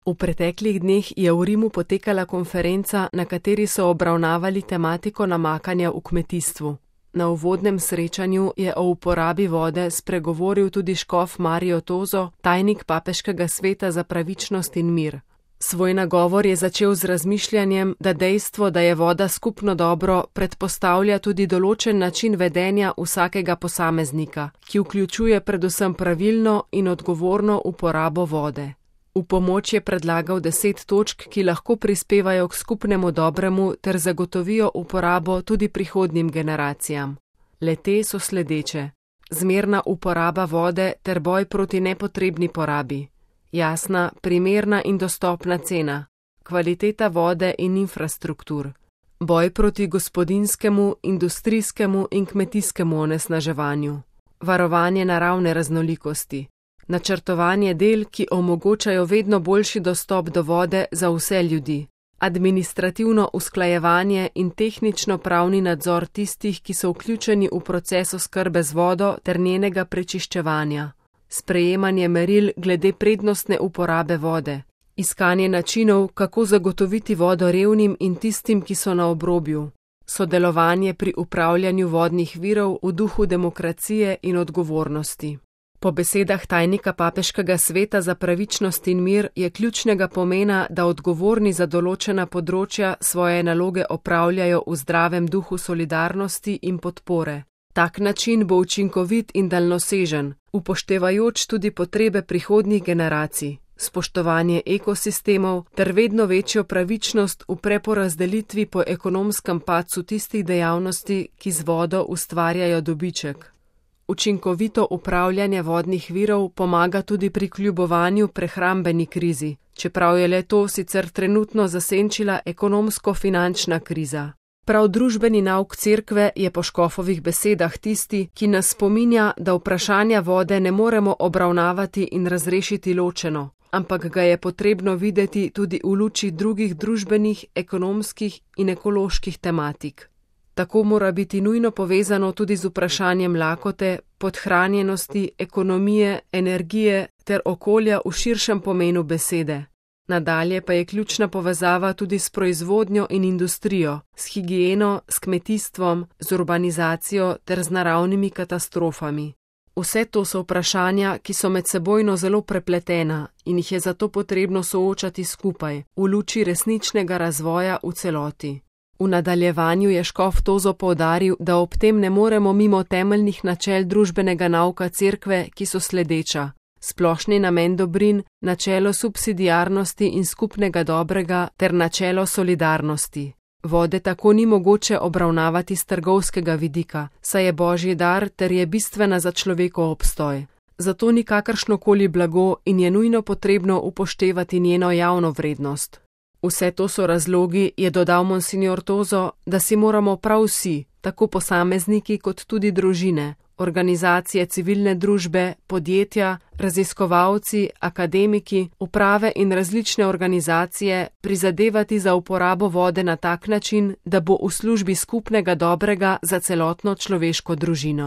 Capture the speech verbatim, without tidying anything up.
V preteklih dneh je v Rimu potekala konferenca, na kateri so obravnavali tematiko namakanja v kmetijstvu. Na uvodnem srečanju je o uporabi vode spregovoril tudi škof Mario Tozo, tajnik Papeškega sveta za pravičnost in mir. Svoj nagovor je začel z razmišljanjem, da dejstvo, da je voda skupno dobro, predpostavlja tudi določen način vedenja vsakega posameznika, ki vključuje predvsem pravilno in odgovorno uporabo vode. V pomoč je predlagal deset točk, ki lahko prispevajo k skupnemu dobremu ter zagotovijo uporabo tudi prihodnjim generacijam. Le-te so sledeče: zmerna uporaba vode ter boj proti nepotrebni porabi, jasna, primerna in dostopna cena, kvaliteta vode in infrastruktur, boj proti gospodinjskemu, industrijskemu in kmetijskemu onesnaževanju, varovanje naravne raznolikosti, načrtovanje del, ki omogočajo vedno boljši dostop do vode za vse ljudi, administrativno usklajevanje in tehnično-pravni nadzor tistih, ki so vključeni v proces oskrbe z vodo ter njenega prečiščevanja, sprejemanje meril glede prednostne uporabe vode, iskanje načinov, kako zagotoviti vodo revnim in tistim, ki so na obrobju, sodelovanje pri upravljanju vodnih virov v duhu demokracije in odgovornosti. Po besedah tajnika Papeškega sveta za pravičnost in mir je ključnega pomena, da odgovorni za določena področja svoje naloge opravljajo v zdravem duhu solidarnosti in podpore. Tak način bo učinkovit in daljnosežen, upoštevajoč tudi potrebe prihodnjih generacij, spoštovanje ekosistemov ter vedno večjo pravičnost v preporazdelitvi po ekonomskem padcu tistih dejavnosti, ki z vodo ustvarjajo dobiček. Učinkovito upravljanje vodnih virov pomaga tudi pri kljubovanju prehrambeni krizi, čeprav je le to sicer trenutno zasenčila ekonomsko-finančna kriza. Prav družbeni nauk cerkve je po škofovih besedah tisti, ki nas spominja, da vprašanja vode ne moremo obravnavati in razrešiti ločeno, ampak ga je potrebno videti tudi v luči drugih družbenih, ekonomskih in ekoloških tematik. Tako mora biti nujno povezano tudi z vprašanjem lakote, podhranjenosti, ekonomije, energije ter okolja v širšem pomenu besede. Nadalje pa je ključna povezava tudi s proizvodnjo in industrijo, s higieno, s kmetijstvom, z urbanizacijo ter z naravnimi katastrofami. Vse to so vprašanja, ki so medsebojno zelo prepletena in jih je zato potrebno soočati skupaj, v luči resničnega razvoja v celoti. V nadaljevanju je škof Tozo poudaril, da ob tem ne moremo mimo temeljnih načel družbenega nauka cerkve, ki so sledeča: splošni namen dobrin, načelo subsidiarnosti in skupnega dobrega ter načelo solidarnosti. Vode tako ni mogoče obravnavati s trgovskega vidika, saj je božji dar ter je bistvena za človekov obstoj. Zato ni kakršnokoli blago in je nujno potrebno upoštevati njeno javno vrednost. Vse to so razlogi, je dodal monsignor Tozo, da si moramo prav vsi, tako posamezniki kot tudi družine, organizacije civilne družbe, podjetja, raziskovalci, akademiki, uprave in različne organizacije prizadevati za uporabo vode na tak način, da bo v službi skupnega dobrega za celotno človeško družino.